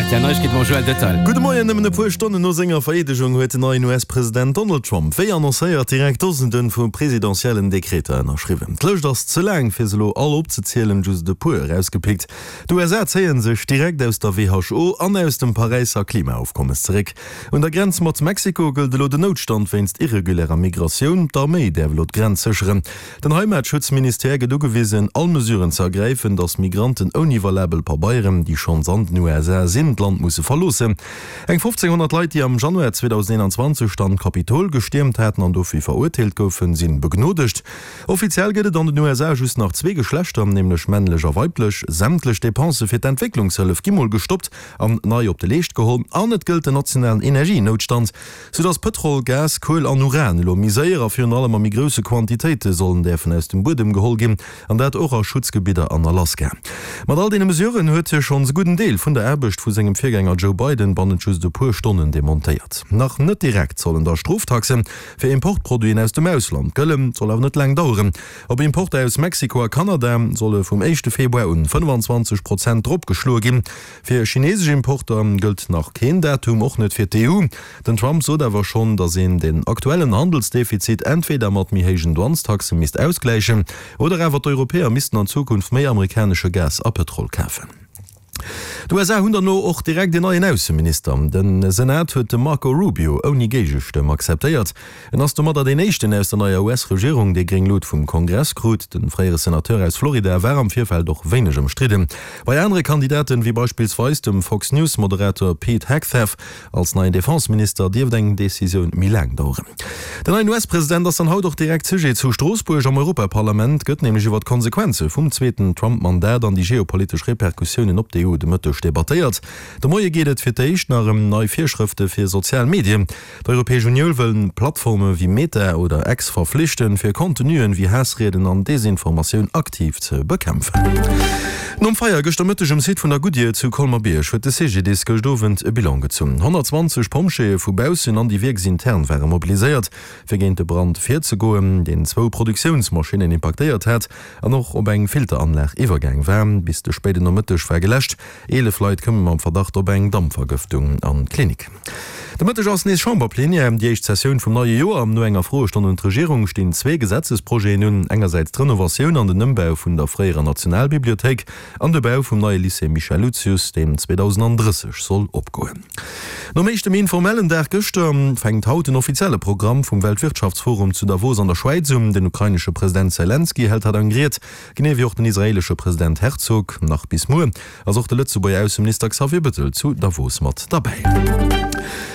Rtl Neiegkeete mam Joël Detail. Gudde Moien, Nëmmen e puer Stonnen no senger Vereedegung huet den neien US-President Donald Trump, wéi annoncéiert, direkt Dosende vu presidentiellen Dekreter ënnerschriwwen. D'Lëscht ass ze laang, fir se elo all opzezielen, just e puer erausgepickt, D'USA zéie sech direkt aus der WHO an aus dem Paräisser Klimaofkommes zeréck. Un der Grenz mat Mexiko gëllt elo den Noutstand wéinst irregulärer Migratioun. D'Arméi däerf elo d'Grenz sécheren. Den Heimatschutzministère gëtt ugewisen, all Mesuren ze ergräifen, datt Migranten ouni valabel Pabeieren, déi schonns an den USA sinn, d'Land musse verloossen. Eng 1.500 Leit, déi am Januar 2021 dann d'Kapitol gestiermt haten an dofir verurteelt goufen, sinn begnodegt. Offiziell gëtt et an den USA just nach zwee Geschlechter, nämlech männlech a weiblech. Sämtlech Depensë fir d'Entwécklungshëllef gi mol gestoppt an nei op de Leescht geholl. An et gëllt den nationalen Energienoutstand, soudass Pëtrol, Gas, Kuel an Uran elo méi séier a virun allem a méi grousse Quantitéite sollen däerfen aus dem Buedem geholl ginn, an dat och a Schutzgebidder an Alaska. Mat all deene Mesuren huet hie schonns e gudden Deel vun der Aarbecht vu sengem Virgänger Joe Biden bannent just e puer Stonnen demontéiert. Nach net direkt sollen da Stroftaxen Fir Importproduiten aus dem Ausland gëllen, soll awer net laang daueren. Op Importer aus Mexiko a Kanada solle vum éischte Februar un 25 Prozent dropgeschloe ginn. Fir chinesesch Importer gëllt nach keen Datum, och net fir d'EU. Den Trump sot awer schonn, datt een den aktuellen Handelsdefizit entweder mat méi héijen Douanestaxe misst ausgläichen oder awer d'Europäer missten an Zukunft méi amerikanesche Gas a Pëtrol kafen. D'USA hunn dann elo och direkt en neien Ausseminister. De Senat huet de Marco Rubio ouni Géigestëmm akzeptéiert. En ass domadder deen éischten aus der neier US-Regierung, dee gréng Lut vum Kongress krut. De fréiere Senateur aus Florida war am Virfeld och wéineg ëmstridden. Bei anere Kandidaten, wéi beispillsweis dem Fox-News-Moderator Pete Hegseth, Als neien Defenseminister dierft eng Decisioun méi laang daueren. Den neien US-President ass dann haut och direkt Sujet zu Stroossbuerg. Am Europaparlament gëtt nämlech iwwer d'Konsequenze vum zweeten Trump-Mandat an déi geopolitesch Repercussiounen op d'EU de Mëtteg debattéiert. De Moie geet et fir d'éischt nach ëm nei Virschrëfte fir sozial Medien. D'Europäesch Unioul wëll Plattforme wéi Meta oder X verflichten, fir Contenuen wéi Haassrieden an Desinformatioun aktiv ze bekämpfen. Nom Feier gëschter Mëtteg um Site vun der Goodyear zu Colmer-Bierg huet de CGDIS gëscht Owend e Bilan gezunn. 120 Pompjeeë vu baussen an déi wierksintern ware mobiliséiert, fir géint de Brand virzegoen, deen zwou Produktiounsmaschinnen impaktéiert hat an och op eng Filteranlag iwwergaang war. Bis de spéiden Nomëtteg war geläscht. 11 Leit koume mam Verdacht op eng Dampvergëftung an d'Klinik. De Mëtteg ass nees Chamberplenière, déi éischt Sessioun vum neie Joer. No enger Froestonn un d'Regierung stinn zwee Gesetzesprojeten un, engersäits d'Renovatioun an den Ëmbau vun der fréierer Nationalbibliothéik an de Bau vum neie Lycée Michel Lucius, deen 2030 soll opgoen. Nom éischte méi informellen Dag gëschter fänkt haut den offizielle Programm vum Weltwirtschaftsforum zu Davos an der Schwäiz un. Den ukrainesche President Selenskyj hält haut eng Ried, genee wéi och den israeelesche President Herzog. Nach bis muer Ass och de Lëtzebuerger Ausseminister Xavier Bettel zu Davos mat derbäi.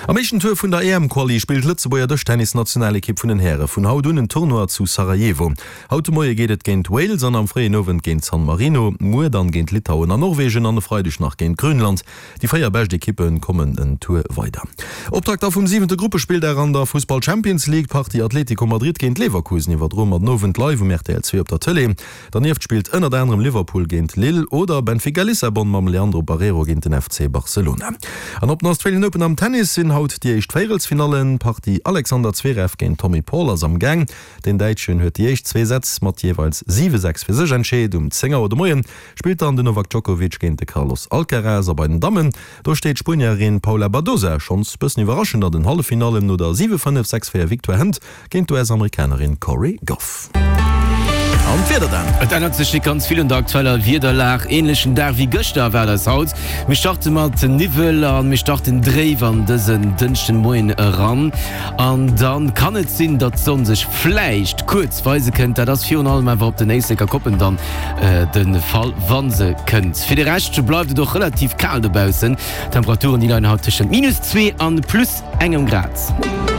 Am éischten Tour vun der EM-Quali spillt d'Lëtzebuerger Dëschtennis-Nationalekipp vun den Häre vun haut un en Tournoi zu Sarajevo. Haut de Moie geet et géint Wales an am fréien Owend géint San Marino, muer dann géint Litauen an Norwegen an e Freideg nach géint Grönland. Déi 4 bescht Ekippe kommen en Tour weider. Optakt da vum siwente Gruppespilldag an der Fussball-Champions League. D'Partie Atletico Madrid géint Leverkusen iwwerdroe mer den Owend live um rtl 2 op der Tëlee. Dernieft spillt ënnert anerem Liverpool géint Lille oder Benfica Lissabon mam Leandro Barreiro géint den FC Barcelona. An op den Australian Open am Tennis sinn haut déi éischt Véierelsfinallen. D'Partie Alexander Zverev géint Tommy Paul ass am Gaang. Den Däitschen huet déi éischt zwee Sätz mat jeeweils 7, 6 fir sech entscheet. Um 10 Auer de Moie spillt dann den Novak Djokovic géint de Carlos Alcaraz. A bei den Dammen, do steet d'Spuenierin Paula Badosa schonns bëssen iwwerraschend an den Halleffinallen no der 7, 5, 6, 4 Victoire hënt Géint d'US-Amerikanerin Cori Gauff. An d'Wieder dann? Et ännert sech net ganz vill un der aktueller Wiederlag. Änlechen Dag wéi gëschter erwaart eis haut. Mir starte mat Niwwel a mir starten dréif an dësen Dënschdenmoien eran. An da kann et sinn, datt d'Sonn sech vläicht kuerz weise kënnt. Dat ass virun allem awer op den Éisleker Koppen dann de Fall, wa se kënnt. Fir de Rescht bleift et och relativ kal dobaussen. D'Temperaturen déi leien haut tëschent minus 2 an plus engem Grad.